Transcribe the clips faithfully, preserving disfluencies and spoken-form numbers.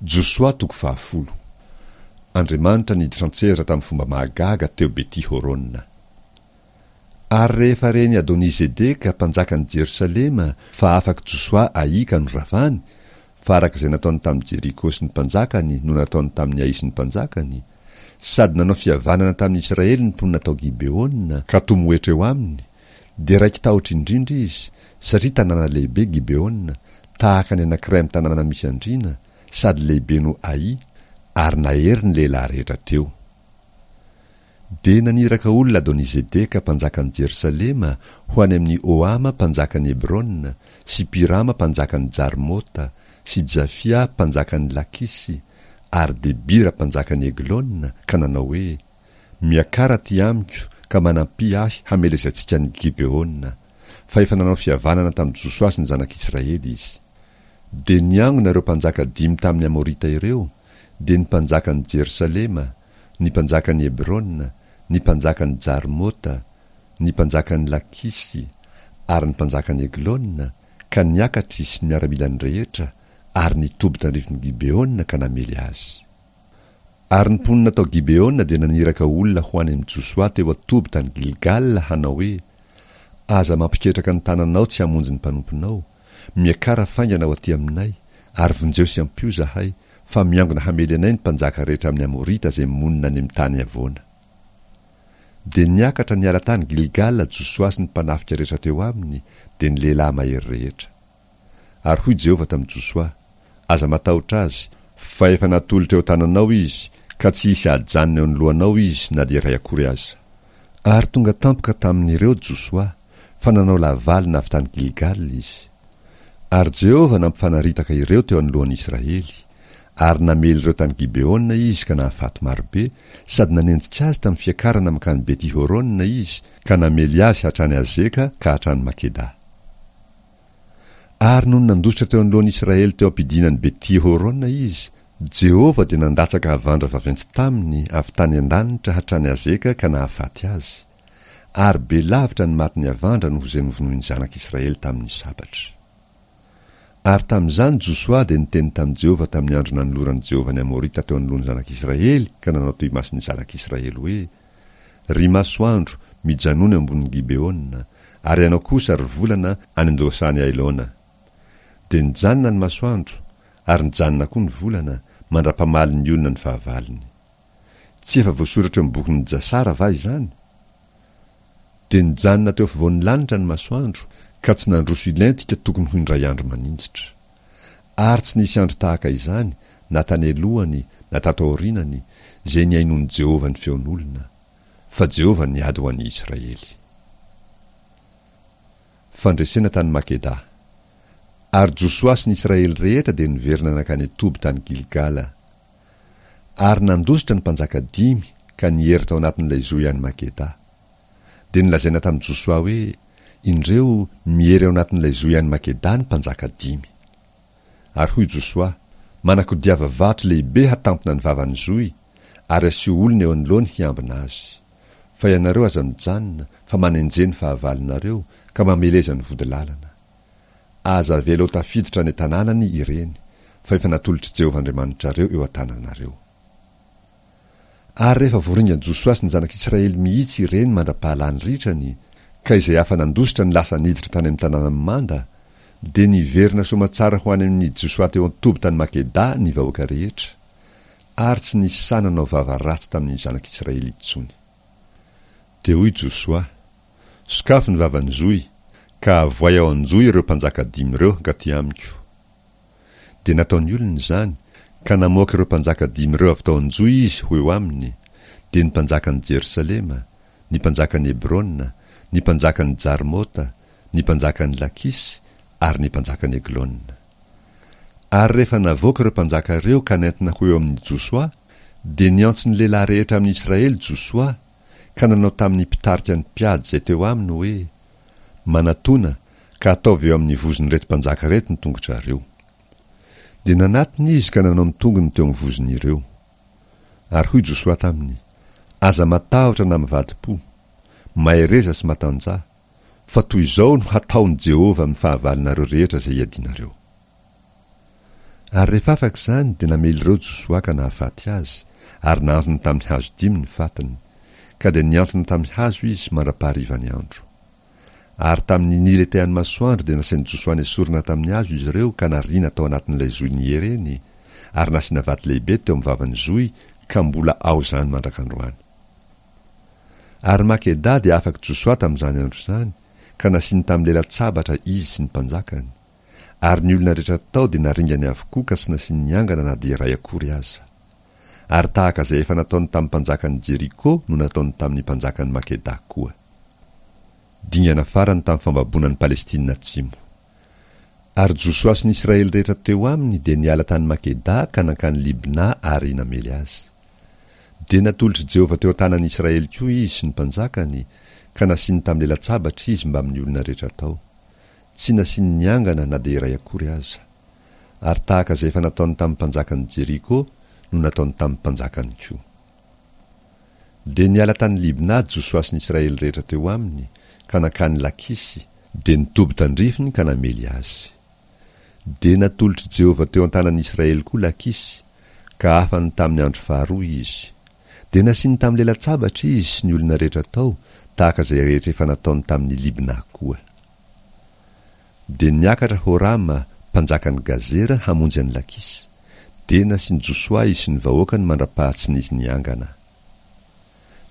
Josoa toko fahafolo. Andriamanitra niditra an-tsehatra tamin'ny fomba mahagaga teo Beti-Horona. Ary rehefa ren'i Adoni-Zedeka mpanjakan'i Jerosalema fa afak'i Josoa Ay ka noravany, fa araka izay nataony tamin'i Jeriko sy ny mpanjakany no nataony tamin'i Ay sy ny mpanjakany, sady nanao fihavanana tamin'ny Israely ny mponina tao Gibeona ka tomoetra eo aminy, dia raiki-tahotra indrindra izy, satria tanàna lehibe Gibeona, tahaka ny anankiray amin'ny tanàna misy andriana, sady lehibe noho Ay, ary nahery ny lehilahy rehetra teo. Dia naniraka olona Adoni-Zedeka mpanjakan'i Jerosalema ho any amin'i Ohama mpanjakan'i Hebrona, sy Pirama mpanjakan'i Jarmota, sy Jafia mpanjakan'i Lakisy, ary Debira mpanjakan'i Eglona, ka nanao hoe, Miakara aty amiko ka manampia ahy hamelezantsika an'i Gibeona, fa efa nanao fihavanana tamin'i Josoa sy ny zanak'Israely izy. Dia niangona ireo mpanjaka dimy tamin'ny Amorita ireo, dia ny mpanjakan'i Jerosalema, ny mpanjakan'i Hebrona, ny mpanjakan'i Jarmota, ny mpanjakan'i Lakisy, ary ny mpanjakan'i Eglona, ka niakatra izy sy ny miaramilany rehetra, ary nitoby tandrifin'i Gibeona ka namely azy. Ary ny mponina tao Gibeona dia naniraka olona ho any amin'i Josoa teo an-toby tany Gilgala hanao hoe, Aza mampiketraka ny tananao tsy hamonjy ny mpanomponao, miakara faingana ho aty aminay, ary vonjeo sy ampio izahay, fa miangona hamely anay ny mpanjaka rehetra amin'ny Amorita izay monina any amin'ny tany havoana. Dia niakatra niala tany Gilgala Josoa sy ny mpanafika rehetra teo aminy, dia ny lehilahy mahery rehetra. Ary hoy Jehovah tamin'i Josoa, Aza matahotra azy, fa efa natolotra eo an-tananao izy, ka tsy hisy hahajanona eo anoloanao izy na dia iray akory aza. Ary tonga tampoka tamin'ireo Josoa, fa nanao lavalina avy tany Gilgala izy. Ary Jehovah nampifanaritaka ireo teo anoloan'ny Israely, ary namely ireo tany Gibeona izy ka nahafaty marobe, sady nanenjika azy tamin'ny fiakarana mankany Beti-Horona izy, ka namely azy hatrany Azeka ka hatrany Makeda. Ary nony nandositra teo anoloan'ny Israely teo am-pidinan'i Beti-Horona izy, Jehovah dia nandatsaka havandra vaventy taminy avy tany an-danitra hatrany Azeka ka nahafaty azy. Ary be lavitra ny matin'ny havandra noho izay novonoin'ny zanak'Israely tamin'ny sabatra. Ary tamin'izany Josoa dia niteny tamin'i Jehovah tamin'ny andro nanoloran'i Jehovah ny Amorita teo anoloan'ny zanak'Israely ka nanao teo imason'ny zanak'Israely hoe, Ry masoandro, mijanona eo ambonin'i Gibeona, ary ianao kosa, ry volana, any an-dohasahan'i Ailona. Dia nijanona ny masoandro, ary nijanona koa ny volana, mandra-pamalin'ny olona ny fahavalony. Tsy efa voasoratra eo amin'ny bokin'i Jasara va izany? Dia nijanona teo afovoan'ny lanitra ny masoandro, ka tsy nandroso hilentika tokony ho indray andro maninjitra. Ary tsy nisy andro tahaka izany, na tany alohany na tato aorianany, izay nihainoan'i Jehovah ny feon'olona. Fa Jehovah niady ho an'ny Israely. Fandresena tany Makeda. Ary Josoa sy ny Israely rehetra dia niverina nankany an-toby tany Gilgala. Ary nandositra ny mpanjaka dimy ka niery tao anatin'ilay zohy any Makeda. Dia nolazaina tamin'i Josoa hoe, Indreo, miery ao anatin'ilay zohy any Makeda ny mpanjaka dimy. Ary hoy Josoa, Manakodiava vato lehibe hatampina ny vavan'ny zohy, ary asio olona eo anoloany hiambina azy. Fa ianareo aza mijanona, fa manenjeha ny fahavalonareo, ka mameleza ny vodilalana. Aza avela ho tafiditra any an-tanànany ireny, fa efa natolotr'i Jehovah Andriamanitrareo eo an-tananareo. Ary rehefa voaringan'i Josoa sy ny zanak'Israely mihitsy ireny mandra-pahalany ritrany, ka izay afa-nandositra ny lasa niditra tany amin'ny tanàna mimanda, dia niverina soamatsara ho any amin'i Josoa teo an-toby tany Makeda ny vahoaka rehetra, ary tsy nisy sahy nanao vava ratsy tamin'ny zanak'Israely intsony. Dia hoy Josoa, Sokafy ny vavan'ny zohy, ka avoay ao an-johy ireo mpanjaka dimy ireo hankaty amiko. Dia nataon'ny olona izany, ka namoaka ireo mpanjaka dimy ireo avy tao an-johy izy ho eo aminy, dia ny mpanjakan'i Jerosalema, ny mpanjakan'i Hebrona, ny mpanjakan'i Jarmota, ny mpanjakan'i Lakisy, ary ny mpanjakan'i Eglona. Ary rehefa navoaka ireo mpanjaka ireo ka nentina ho eo amin'i Josoa, dia niantso ny lehilahy rehetra amin'i Israely Josoa, ka nanao tamin'ny mpitarika ny mpiady izay teo aminy hoe, Manatòna, ka ataovy eo amin'ny vozon'ireto mpanjaka ireto ny tongotrareo. Dia nanatona izy ka nanao ny tongony teo amin'ny vozon'ireo. Ary hoy Josoa taminy, Aza matahotra na mivadi-po. Mahereza sy matanjaha, fa toy izao no hataon'i Jehovah amin'ny fahavalonareo rehetra izay iadianareo. Ary rehefa afaka izany, dia namely ireo Josoa ka nahafaty azy, ary nahantona tamin'ny hazo dimy ny fatiny. Ka dia nihantona tamin'ny hazo izy mandra-paharivan'ny andro. Ary tamin'ny niletehan'ny masoandro dia nasain'i Josoa nesorina tamin'ny hazo izy ireo ka nariana tao anatin'ilay zohy niereny, ary nasiana vato lehibe teo amin'ny vavan'ny zohy ka mbola ao izany mandrak'androany. Ary Makeda dia afak'i Josoa tamin'izany andro izany, ka nasiany tamin'ny lela-tsabatra izy sy ny mpanjakany. Ary ny olona rehetra tao dia naringany avokoa ka tsy nasiany niangana na dia iray akory aza. Ary tahaka izay efa nataony tamin'ny mpanjakan'i Jeriko no nataony tamin'ny mpanjakan'i Makeda koa. Dingana farany tamin'ny fambaboana an'i Palestina Atsimo. Ary Josoa sy ny Israely rehetra teo aminy dia niala tany Makeda ka nankany Libna ary namely azy. Dia natolotr'i Jehovah teo an-tanan'ny Israely koa izy sy ny mpanjakany, ka nasiany tamin'ny lela-tsabatra izy mbamin'ny olona rehetra tao. Tsy nasiany niangana na dia iray akory aza. Ary tahaka izay efa nataony tamin'ny mpanjakan'i Jeriko no nataony tamin'ny mpanjakany koa. Dia niala tany Libna Josoa sy ny Israely rehetra teo aminy, ka nankany Lakisy, dia nitoby tandrifiny ka namely azy. Dia natolotr'i Jehovah teo an-tanan'ny Israely koa Lakisy, ka afany tamin'ny andro faharoa izy. Dia nasiany tamin'ny lela-tsabatra izy sy ny olona rehetra tao, tahaka izay rehetra efa nataony tamin'i Libna koa. Dia niakatra Horama, mpanjakan'i Gazera, hamonjy an'i Lakisy. Dia nasian'i Josoa izy sy ny vahoakany mandra-paha tsy nisy niangana.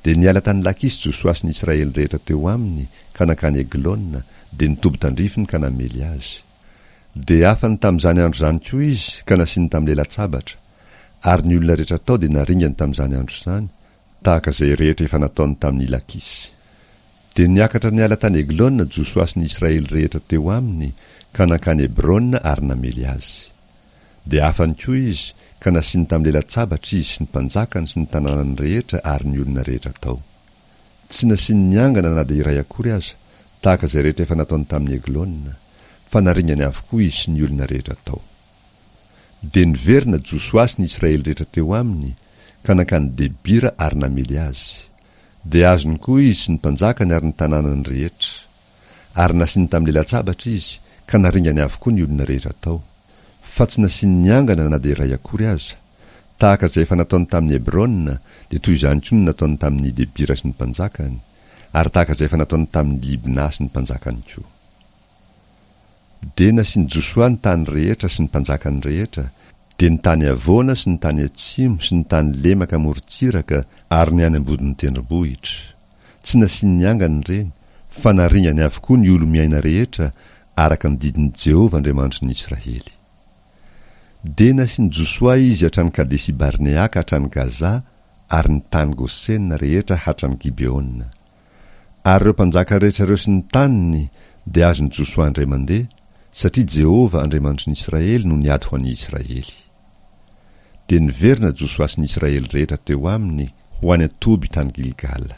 Dia niala tany Lakisy Josoa sy ny Israely rehetra teo aminy ka nankany Eglona, dia nitoby tandrifiny ka namely azy. Dia afany tamin'izany andro izany koa izy ka nasiany tamin'ny lela-tsabatra. Ary ny olona rehetra tao dia naringany tamin'izany andro izany, tahaka izay rehetra efa nataony tamin'i Lakisy. Dia niakatra niala tany Eglona Josoa sy ny Israely rehetra teo aminy ka nankany Hebrona ary namely azy. Dia afany koa izy ka nasiany tamin'ny lela-tsabatra izy sy ny mpanjakany sy ny tanànany rehetra ary ny olona rehetra tao. Tsy nasiany niangana na dia iray akory aza, tahaka izay rehetra efa nataony tamin'i Eglona, fa naringany avokoa izy sy ny olona rehetra tao. Dia niverina Josoa sy ny Israely rehetra teo aminy ka nankany Debira ary namely azy. Dia azony koa izy sy ny mpanjakany ary ny tanànany rehetra. Ary nasiany tamin'ny lela-tsabatra izy ka naringany avokoa ny olona rehetra tao. Fa tsy nasiany niangana na dia iray akory aza. Tahaka izay efa nataony tamin'i Hebrona, dia toy izany koa no nataony tamin'i Debira sy ny mpanjakany, ary tahaka izay efa nataony tamin'i Libna sy ny mpanjakany koa. Dia nasian'i Josoa ny tany rehetra sy ny mpanjakany rehetra, dia ny tany havoana sy ny tany atsimo sy ny tany lemaka morontsiraka ary ny any ambodin'ny tendrombohitra. Tsy nasiany niangana ireny, fa naringany avokoa ny olo-miaina rehetra araka ny didin'i Jehovah Andriamanitry ny Israely. Dia nasian'i Josoa izy hatrany Kadesi-Barnea ka hatrany Gaza ary ny tany Gosena rehetra hatrany Gibeona. Ary ireo mpanjaka rehetra ireo sy ny taniny dia azon'i Josoa indray mandeha, satria Jehovah Andriamanitry ny Israely no niady ho an'ny Israely. Dia niverina Josoa sy ny Israely rehetra teo aminy ho any an-toby tany Gilgala.